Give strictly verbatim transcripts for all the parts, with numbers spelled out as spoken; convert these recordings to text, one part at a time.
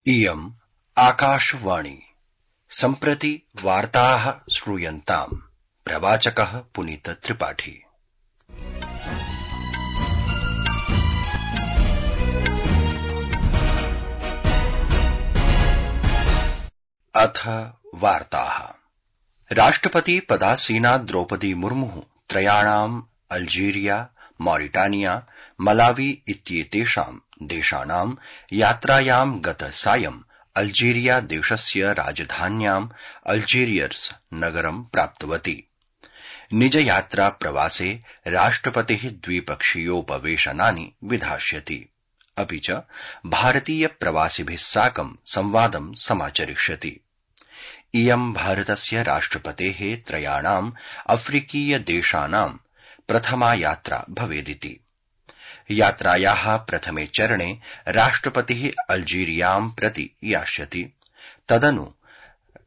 इयम् आकाशवाणी सम्प्रति वार्ताः श्रूयन्ताम्। प्रवाचकः पुनीत त्रिपाठी। अथ वार्ताः। राष्ट्रपति पदासीना द्रौपदी मुर्मुः त्रयाणाम् अल्जीरिया, मॉरिटानिया, मलावी इत्येतेषाम् देशानाम् यात्रायाम् गतसायम् अल्जीरिया देशस्य राजधान्याम् अल्जीरियर्स नगरम् प्राप्तवती। निजयात्रा प्रवासे राष्ट्रपतिः द्विपक्षीयोपवेशनानि विधास्यति, अपि च भारतीय प्रवासिभिः साकं संवादं समाचरिष्यति। इयं भारतस्य राष्ट्रपतेः त्रयाणाम् अफ्रीकीय देशानाम् प्रथमा यात्रा भवेदिति। यात्रायाः प्रथमे चरणे राष्ट्रपतिः अल्जीरियां प्रति यास्यति। तदनु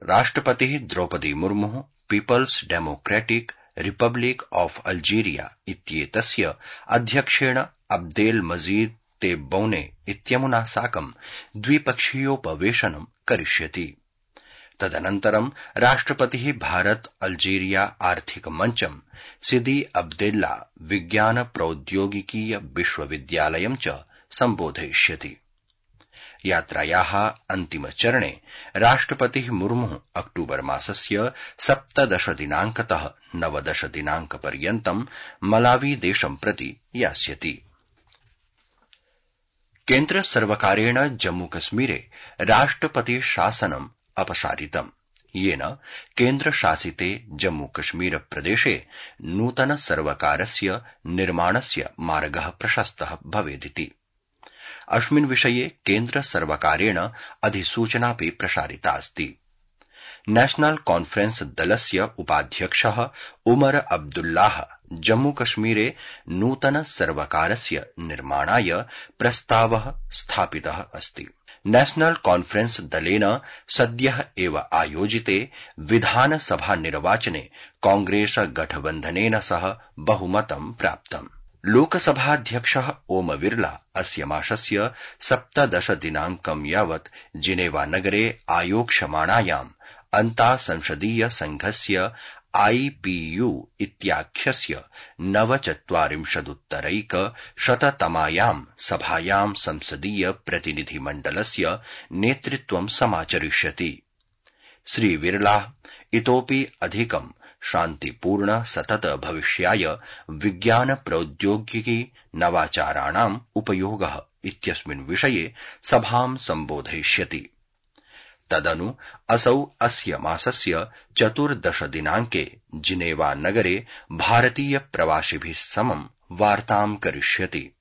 राष्ट्रपतिः द्रौपदी मुर्मुः people's democratic republic of Algeria इत्येतस्य अध्यक्षेण अब्देल मजीद तेब्बौने इत्यमुना साकं द्विपक्षीयोपवेशनं करिष्यति। तदनन्तरं राष्ट्रपतिः भारत अल्जीरिया आर्थिक मञ्चं सिदी अब्देल्ला विज्ञान प्रौद्योगिकीय विश्वविद्यालयं च सम्बोधयिष्यति। यात्रायाः अन्तिमचरणे राष्ट्रपतिः मुर्मुः अक्टूबर मासस्य सप्तदश दिनाङ्कतः नवदश दिनाङ्कपर्यन्तं मलावी देशं प्रति यास्यति। केन्द्र सर्वकारेण जम्मूकश्मीरे राष्ट्रपति शासनम् अपसारितम्, येन केन्द्रशासिते जम्मूकश्मीर प्रदेशे नूतन सर्वकारस्य निर्माणस्य मार्गः प्रशस्तः भवेदिति। अस्मिन् विषये केन्द्र सर्वकारेण अधिसूचनापि प्रसारितास्ति। नेशनल कॉन्फ्रेंस दलस्य उपाध्यक्षः उमर अब्दुल्लाह जम्मूकश्मीरे नूतन सर्वकारस्य निर्माणाय प्रस्तावः स्थापितः अस्ति। नेशनल कॉन्फ्रेंस दलेन सद्यः एव आयोजिते विधानसभा निर्वाचने कांग्रेस गठबन्धनेन सह बहुमतं प्राप्तम्। लोकसभाध्यक्षः ओम बिरला अस्य मासस्य सप्तदश दिनाङ्कं यावत् जिनेवा नगरे आयोक्ष्यमाणायाम् अन्तासंसदीय संघस्य आईपीयू इत्याख्यस्य नवचत्वारिंशदुत्तरैक शततमायाम् सभायाम् संसदीय प्रतिनिधिमण्डलस्य नेतृत्वं समाचरिष्यति। श्री बिरला इतोपि अधिकं शान्तिपूर्ण सतत भविष्याय विज्ञान प्रौद्योगिकी नवाचाराणाम् उपयोगः इत्यस्मिन् विषये सभां सम्बोधयिष्यति। तदनु असौ अस्य मासस्य चतुर्दश दिनाङ्के जिनेवा नगरे भारतीय प्रवासिभिः समं वार्तां करिष्यति।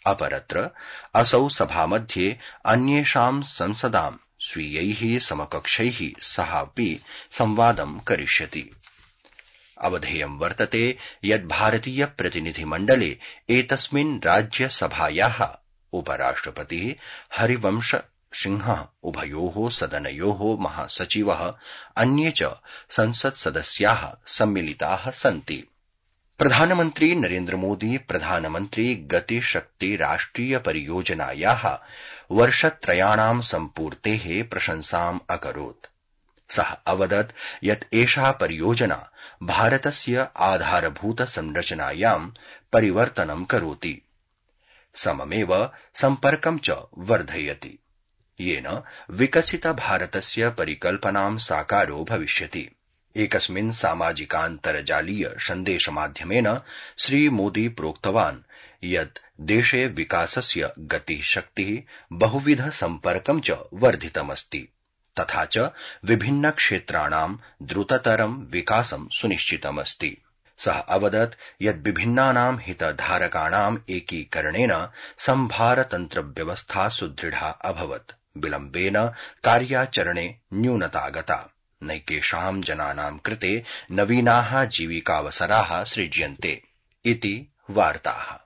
अपरत्र असौ सभामध्ये अन्येषां संसदां स्वीयैः समकक्षैः सहापि संवादं करिष्यति। अवधेयं वर्तते यत् भारतीय प्रतिनिधिमण्डले एतस्मिन् राज्यसभायाः उपराष्ट्रपतिः हरिवंश सिंहः उभयोः सदनयोः महासचिवः अन्ये च संसत्सदस्याः सम्मिलिताः सन्ति। प्रधानमन्त्री नरेन्द्र मोदी प्रधानमन्त्री गतिशक्ति राष्ट्रिय परियोजनायाः वर्षत्रयाणां सम्पूर्तेः प्रशंसाम् अकरोत्। सः अवदत् यत् एषा परियोजना भारतस्य आधारभूत संरचनायां परिवर्तनं करोति, सममेव सम्पर्कं च वर्धयति, येन विकसित भारतस्य परिकल्पनां साकारो भविष्यति। एकस्मिन् सामाजिकान्तर्जालीय सन्देशमाध्यमेन श्रीमोदी प्रोक्तवान् यत् देशे विकासस्य गतिशक्तिः बहुविध सम्पर्कं च वर्धितमस्ति, तथा च विभिन्न क्षेत्राणां द्रुततरं विकासं सुनिश्चितमस्ति। सः अवदत् यत् विभिन्नानां हितधारकाणाम् एकीकरणेन संभारतन्त्रव्यवस्था सुदृढा अभवत्। विलम्बेन कार्याचरणे न्यूनता गता। नैकेषां जनानां कृते नवीनाः जीविकावसराः सृज्यन्ते इति वार्ताः।